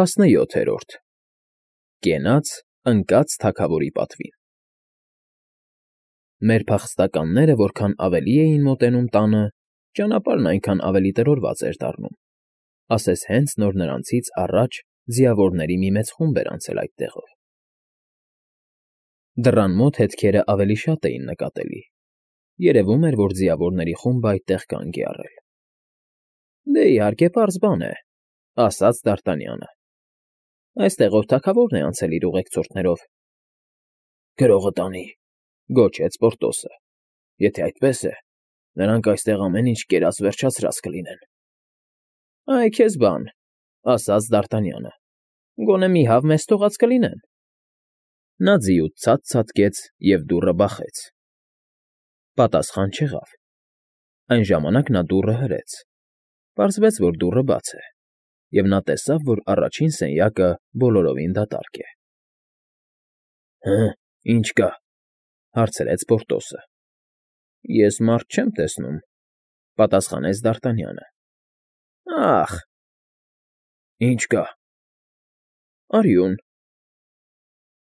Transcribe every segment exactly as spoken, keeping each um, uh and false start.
ՏԱՍՆՅՈԹԵՐՈՐԴ Կենաց ընկած թագավորի պատվին Մեր փախստականները որքան ավելի էին մոտենում տանը, ճանապարհն այնքան ավելի տրորված էր դառնում, ասես հենց նոր նրանցից առաջ ձիավորների մի մեծ խումբ էր անցել այդ տեղով։ Դռան մոտ հետքերն ավելի շատ էին նկատելի, երևում էր, որ ձիավորների խումբն այդտեղ կանգ է առել։ ֊ Դե, իհարկե, պարզ բան է,֊ ասաց Դ'Արտանյանը,֊ այստեղով թագավորն է անցել իր ուղեկցորդներով։ ֊ Գրողը տանի,֊ գոչեց Պորտոսը,֊ եթե այդպես է, նրանք այստեղ ամեն ինչ կերած֊վերջացրած կլինեն։ ֊ Այ քեզ բան,֊ ասաց Դ'Արտանյանը,֊ գոնե մի հավ մեզ թողած կլինեն։ Նա ձիուց ցած ցատկեց և դուռը բախեց։ Պատասխան չեղավ։ Այն ժամանակ նա դուռը հրեց։ Պարզվեց, որ դուռը բաց է, և նա տեսավ, որ առաջին սենյակը բոլորովին դատարկ է։ ֊ Հը՞, ինչ կա,֊ հարցրեց Պորտոսը։ ֊ Ես մարդ չեմ տեսնում,֊ պատասխանեց Դ'Արտանյանը։ ֊ Ա՜խ… Ի՞նչ կա։ ֊ Արյուն…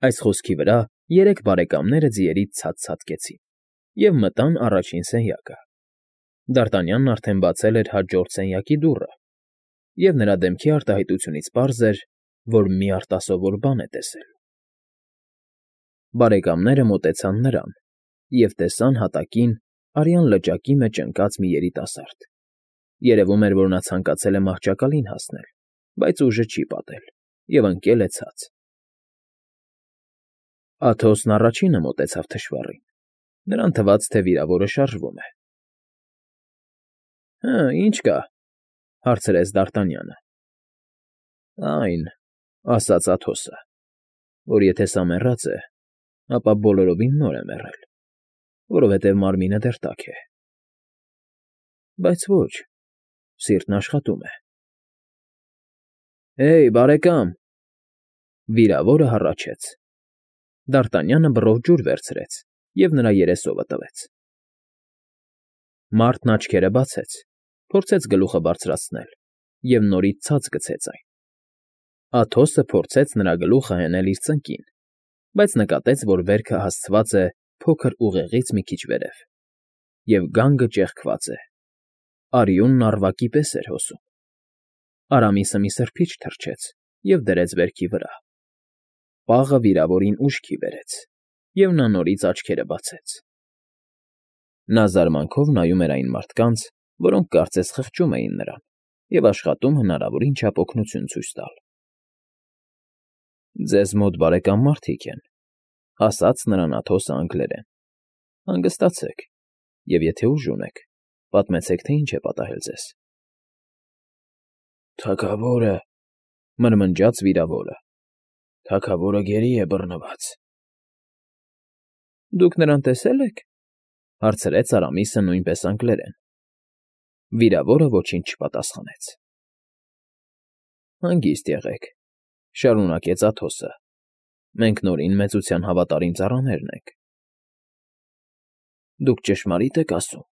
Այս խոսքի վրա երեք բարեկամները ձիերից ցած ցատկեցին և մտան առաջին սենյակը։ Դ'Արտանյանն արդեն բացել էր հաջորդ սենյակի դուռը, և նրա դեմքի արտահայտությունից պարզ էր, որ մի արտասովոր բան է տեսել։ Բարեկամները մոտեցան նրան և տեսան հատակին արյան լճակի մեջ ընկած մի երիտասարդ։ Երևում էր, որ նա ցանկացել է մահճակալին հասնել, բայց ուժը չի պատել և ընկել է ցած։ Աթոսն առաջինը մոտեցավ թշվառին. նրան թվաց, թե վիրավորը շարժվում է։ ֊ Հը, ի՞նչ կա,֊ հարցրեց Դ'Արտանյանը։ ֊ Այն,֊ ասաց Աթոսը,֊ որ եթե սա մեռած է, ապա բոլորովին նոր է մեռել, որովհետև մարմինը դեռ տաք է։ ֊ Բայց ոչ, սիրտն աշխատում է։ ֊ Հեյ, բարեկամ,֊ վիրավորը հառաչեց։ Դ'Արտանյանը բռով ջուր վերցրեց և նրա երեսովը տվեց։ Մարդն աչքերը բացեց, փորձեց գլուխը բարձրացնել և նորից ցած գցեց այն։ Աթոսը փորձեց նրա գլուխը հենել իր ծնկին, բայց նկատեց, որ վերքը հասցված է փոքր ուղեղից մի քիչ վերև, և գանգը ճեղքված է, արյունն առվակի պես էր հոսում։ Արամիսը մի սրբիչ թռչեց և դրեց վերքի վրա։ Պաղը վիրավորին ուշքի բերեց, և նա նորից աչքերը բացեց։ Նա զարմանքով նայում էր այն մարդկանց, որոնք կարծես խղճում էին նրան և աշխատում հնարավորին չափ օգնություն ցույց տալ։ ֊ Ձեզ մոտ բարեկամ մարդիկ են,֊ ասաց նրան Աթոսը անգլերեն,֊ հանգստացեք և եթե ուժ ունեք, պատմեցեք, թե ինչ է պատահել ձեզ։ ֊ Թագավորը,֊ մրմնջաց վիրավորը,֊ թագավորը գերի է բռնված։ ֊ Դուք նրան տեսե՞լ եք,֊ հարցրեց Արամիսը նույնպես անգլերեն։ Վիրավորը ոչինչ չպատասխանեց։ ֊ Հանգիստ եղեք,֊ շարունակեց Աթոսը,֊ մենք Նորին մեծության հավատարիմ ծառաներն ենք։ ֊ Դուք ճշմարիտ եք ասում,֊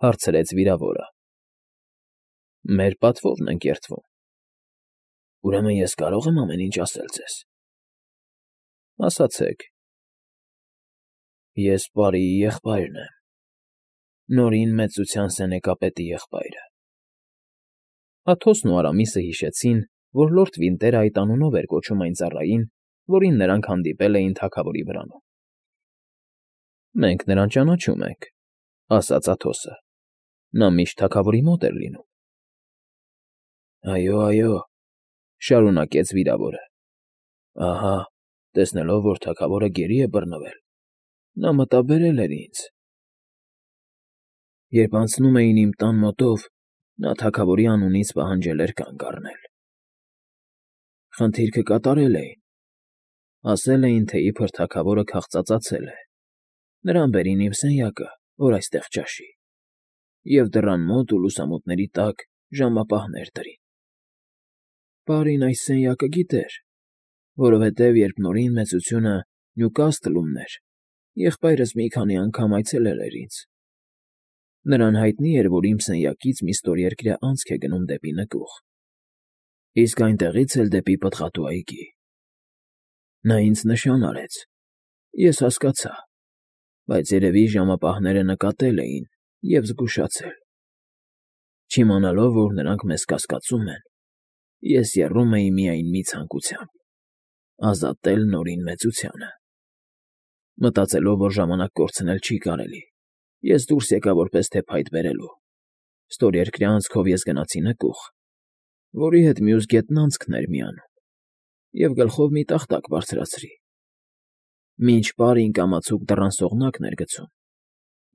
հարցրեց վիրավորը։ ֊ Մեր պատվովն ենք երդվում։ ֊ Ուրեմն ես կարո՞ղ եմ ամեն ինչ ասել ձեզ։ ֊ Ասացեք։ ֊ Ես պարիի եղբայրն եմ, Նորին մեծության սենեկապետի եղբայրը։ Աթոսն ու Արամիսը հիշեցին, որ լորդ Վինտերը այդ անունով էր կոչում այն ծառային, որին նրանք հանդիպել էին թագավորի վրանում։ ֊ Մենք նրան ճանաչում ենք,֊ ասաց Աթոսը,֊ նա միշտ թագավորի մոտ էր լինում։ ֊ Այո, այո,֊ շարունակեց վիրավորը,֊ ահա, տեսնելով, որ թագավորը գերի է բռնվել, նա մտաբերել էր ինձ։ Երբ անցնում էին իմ տան մոտով, նա թագավորի անունից պահանջել էր կանգ առնել։ Խնդիրքը կատարել էին։ Ասել էին, թե իբր թագավորը քաղծածացել է, նրան բերին իմ սենյակը, որ այստեղ ճաշի, և դռան մոտ ու լուսամուտների տակ ժամապահներ դրին։ Պարին այս սենյակը գիտեր, որովհետև երբ Նորին մեծությունը Նյուկասթլում էր, եղբայրս մի քանի անգամ այցելել էր ինձ։ Նրան հայտնի էր, որ իմ սենյակից մի ստորերկրյա անցք է գնում դեպի նկուղ։ Իսկ այնտեղից էլ դեպի Պտղատու այգի։ Նա ինձ նշան արեց, ես հասկացա, բայց երևի ժամապահները նկատել էին և զգուշացել։ Չիմանալով, որ նրանք մեզ կասկածում են, ես եռում էի միայն մի ցանկությամբ՝ ազատել Նորին մեծությանը։ Մտածելով, որ ժամանակ կորցնել չի կարելի, ես դուրս եկա որպես թե փայտ բերելու։ Ստորերկրյա անցքով ես գնացի նկուղ, որի հետ մյուս գետն անցքն էր միանում, և գլխով մի տախտակ բարձրացրի։ Մինչ պարին կամացուկ դռան սողնակն էր գցում,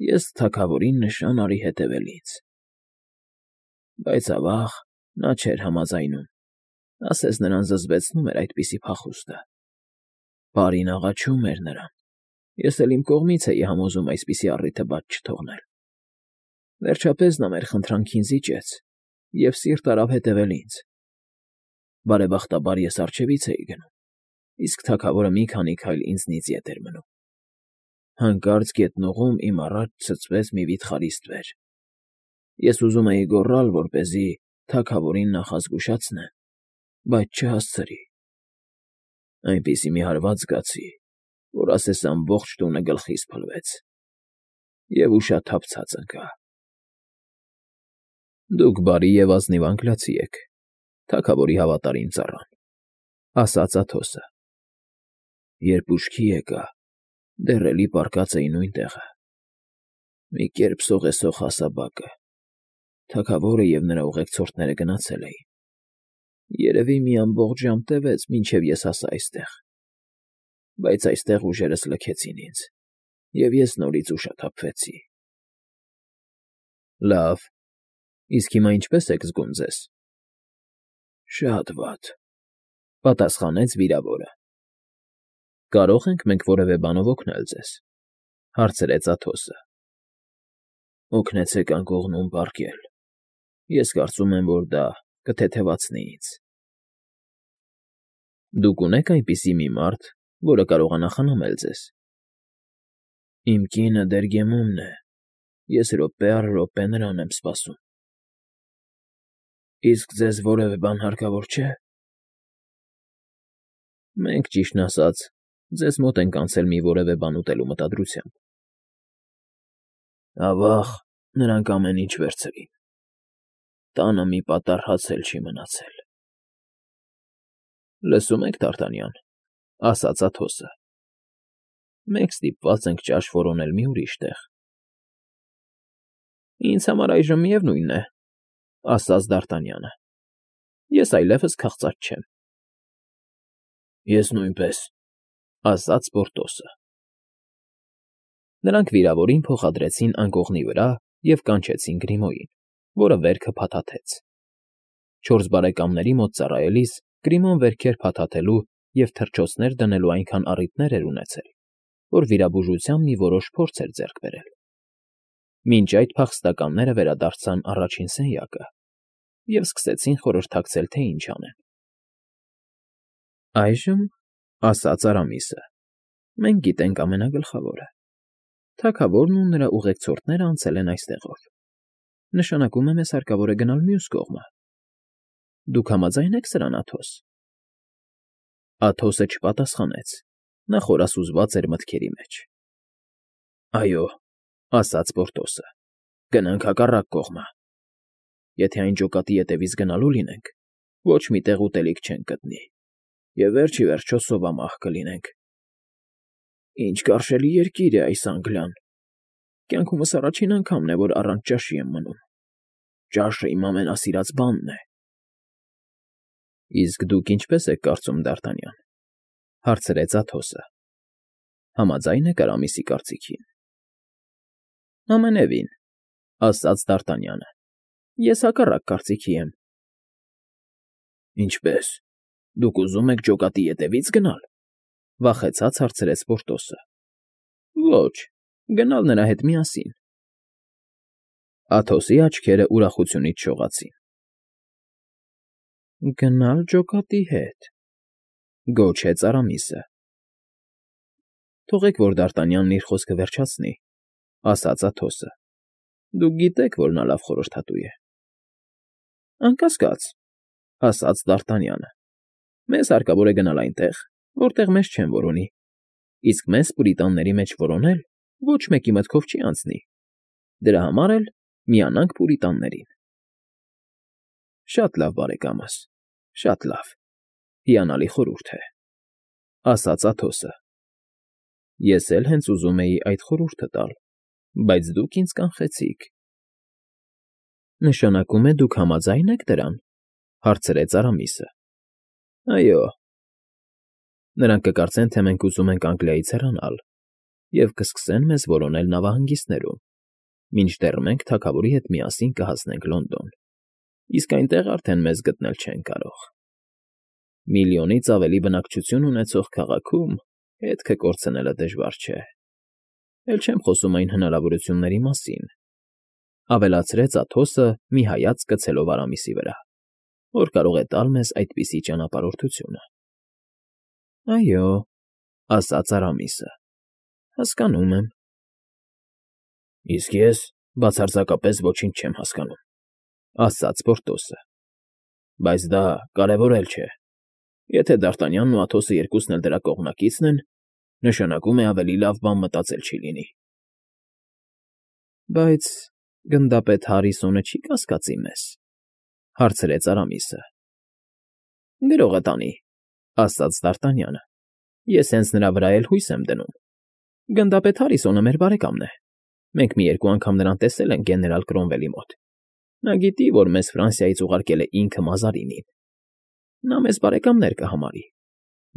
ես թագավորին նշան արի հետևել ինձ։ Բայց ավաղ, նա չէր համաձայնում, ասես նրան զզվեցնում էր այդպիսի փախուստը։ Պարին աղաչում էր նրան, ես էլ իմ կողմից էի համոզում այսպիսի առիթը բաց չթողնել։ Վերջապես նա մեր խնդրանքին զիջեց և սիրտ արավ հետևել ինձ։ Բարեբախտաբար ես առջևից էի գնում, իսկ թագավորը մի քանի քայլ ինձնից ետ էր մնում։ Հանկարծ գետնուղում իմ առաջ ցցվեց մի վիթխարի ստվեր։ Ես ուզում էի գոռալ, որպեսզի թագավորին նախազգուշացնեմ, բայց չհասցրի։ Այնպիսի մի հարված զգացի, որ ասես ամբողջ տունը գլխիս փլվեց, և ուշաթափցած ընկա։ Դուք բարի և ազնիվ անգլիացի եք, թագավորի հավատարիմ ծառան, ասաց Աթոսը։ Երբ ուշքի եկա, դեռ էլի պառկած էի նույն տեղը։ Մի կերպ սողեսող հասաբակը, թագավորը և նրա ուղեկցորդները գնացել էին։ Երևի մի ամբողջ ժամ տևեց, մինչև ես հասա այստեղ։ Բայց այստեղ ուժերս լքեցին ինձ, և ես նորից ուշաթափվեցի։ Լավ, իսկ հիմա ինչպե՞ս եք զգում ձեզ։ Շատ վատ, պատասխանեց վիրավորը։ Կարո՞ղ ենք մենք որևէ բանով օգնել ձեզ, հարցրեց Աթոսը։ Օգնեցեք անկողնում պառկել, ես կարծում եմ, որ դա կթեթևացնի ինձ։ Դուք ունե՞ք այնպիսի մի մարդ, որը կարողանա խնամել ձեզ։ Իմ կինը Դերգեմումն է, ես րոպե առ րոպե նրան եմ սպասում։ Իսկ ձեզ որևէ բան հարկավոր չէ։ Մենք, ճիշտն ասած, ձեզ մոտ ենք անցել մի որևէ բան ուտելու մտադրությամբ։ Ավաղ, նրանք ամեն ինչ վերցրին։ Տանը մի պատառ հաց էլ չի մնացել։ Լսում եք, Դ'Արտանյան, ասաց Աթոսը։ Մենք ստիպված ենք ճաշ որոնել մի ուրիշ տեղ։ Ինձ համար այժմ միևնույն է, ասաց Դ'Արտանյանը։ Ես այլևս քաղծած չեմ։ Ես նույնպես, ասաց Պորտոսը։ Նրանք վիրավորին փոխադրեցին անկողնի վրա և կանչեցին Գրիմոյին, որը վերքը փաթաթեց։ Չորս բարեկամների մոտ ծառայելիս Գրիմոն վերքեր փաթաթելու և թռչոցներ դնելու այնքան առիթներ էր ունեցել, որ վիրաբուժությամբ մի որոշ փորձ էր ձեռք բերել։ Մինչ այդ փախստականները վերադարձան առաջին սենյակը և սկսեցին խորհրդակցել, թե ինչ անեն։ Այժմ, ասաց Արամիսը, մենք գիտենք ամենագլխավորը. թագավորն ու նրա ուղեկցորդները անցել են այստեղով։ Նշանակում է, մեզ հարկավոր է գնալ մյուս կողմը։ Դուք համաձայն եք սրան, Աթոս։ Աթոսը չպատասխանեց, նա խորասուզված էր մտքերի մեջ։ Այո, ասաց Պորտոսը, գնանք հակառակ կողմը։ Եթե այն ջոկատի ետևից գնալու լինենք, ոչ մի տեղ ուտելիք չենք գտնի, և վերջ ի վերջո սովամահ կլինենք։ Ինչ կարշելի երկիր է այս Անգլիան։ Կյանքումս առաջին անգամն է, որ առանց ճաշի եմ մնում։ Ճաշը իմ ամենասիրած բանն է։ Իսկ դուք ինչպես եք կարծում, Դ'Արտանյան, հարցրեց Աթոսը։ Համաձայն եք Արամիսի կարծիքին։ Ամենևին, ասաց Դ'Արտանյանը, ես հակառակ կարծիքի եմ։ Ինչպե՞ս, դուք ուզում եք ջոկատի ետևի՞ց գնալ, վախեցած հարցրեց Պորտոսը։ Ոչ, գնալ նրա հետ միասին։ Աթոսի աչքերը ուրախությունից շողացին։ Գնալ ջոկատի հետ, գոչեց Արամիսը։ Թողեք, որ Դ'Արտանյանն իր խոսքը վերջացնի, ասաց Աթոսը։ Դուք գիտեք, որ նա լավ խորհրդատու է։ Անկասկած, ասաց Դ'Արտանյանը։ Մեզ հարկավոր է գնալ այնտեղ, որտեղ մեզ չեն որոնի, իսկ մեզ պուրիտանների մեջ որոնել ոչ մեկի մտքով չի անցնի, դրա համար էլ միանանք պուրիտաններին։ Շատ լավ, բարեկամս, շատ լավ, հիանալի խորհուրդ է, ասաց Աթոսը։ Ես էլ հենց ուզում էի այդ խորհուրդը տալ, բայց դուք ինձ կանխեցիք։ Նշանակում է դուք համաձա՞յն եք դրան, հարցրեց Արամիսը։ Այո։ Նրանք կկարծեն, թե մենք ուզում ենք Անգլիայից հեռանալ և կսկսեն մեզ որոնել նավահանգիստներում, մինչդեռ մենք թագավորի հետ միասին կհասնենք Լոնդոն, իսկ այնտեղ արդեն մեզ գտնել չեն կարող։ Միլիոնից ավելի բնակչություն ունեցող քաղաքում հետքը կորցնելը դժվար չէ։ Էլ չեմ խոսում այն հնարավորությունների մասին, ավելացրեց Աթոսը մի հայացք գցելով Արամիսի վրա, որ կարող է տալ մեզ այդպիսի ճանապարհորդությունը։ Այո, ասաց Արամիսը, հասկանում եմ։ Իսկ ես բացարձակապես ոչինչ չեմ հասկանում, ասաց Պորտոսը։ Բայց դա կարևոր էլ չէ։ Եթե Դ'Արտանյանն ու Աթոսը երկուսն էլ դրա կողմնակիցն են, նշանակում է ավելի լավ բան մտածել չի լինի։ Բայց գնդապետ Հարիսոնը չի կասկածի մեզ, հարցրեց Արամիսը։ Գրողը տանի, ասաց Դ'Արտանյանը։ Ես հենց նրա վրա էլ հույս եմ դնում։ Գնդապետ Հարիսոնը մեր բարեկամն է։ Մենք մի երկու անգամ նրան տեսել ենք գեներալ Կրոմվելի մոտ։ Նա գիտի, որ մեզ Ֆրանսիայից ուղարկել է ինքը Մազարինին։ Նա մեզ բարեկամներ կհամարի։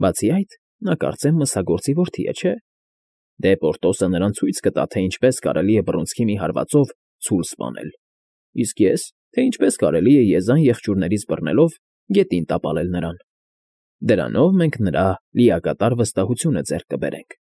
Բացի այդ, նա կարծեմ մսագործի որդի է, չէ՞։ Դե Պորտոսը նրան ցույց կտա, թե ինչպես կարելի է բռունցքի մի հարվածով ցուլ սպանել, իսկ ես, թե ինչպես կարելի է եզան եղջյուրներից բռնելով գետին տապալել նրան։ Դրանով մենք նրա լիակատար վստահությունը ձեռք կբերենք։